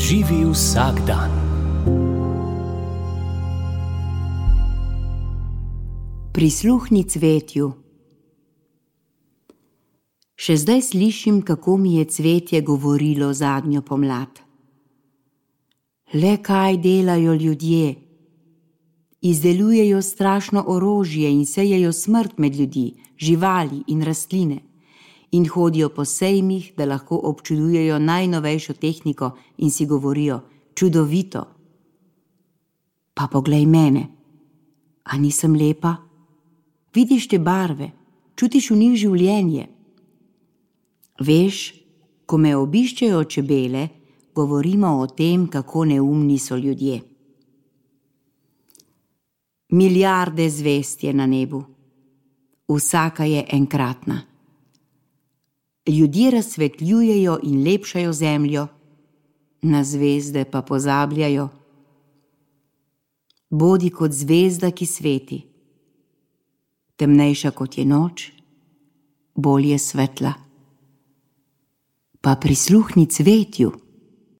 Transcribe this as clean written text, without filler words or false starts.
Živi vsak dan. Prisluhni cvetju. Še zdaj slišim, kako mi je cvetje govorilo zadnjo pomlad. Le kaj delajo ljudje? Izdelujejo strašno orožje in sejejo smrt med ljudi, živali in rastline. In hodijo po sejmih, da lahko občudujejo najnovejšo tehniko in si govorijo: čudovito. Pa poglej mene. A nisem lepa? Vidiš te barve, čutiš v njih življenje. Veš, ko me obiščejo čebele, govorimo o tem, kako neumni so ljudje. Milijarde zvezd je na nebu. Vsaka je enkratna. Ljudje razsvetljujejo in lepšajo zemljo, na zvezde pa pozabljajo. Bodi kot zvezda, ki sveti. Temnejša kot je noč, bolj je svetla. Pa prisluhni cvetju.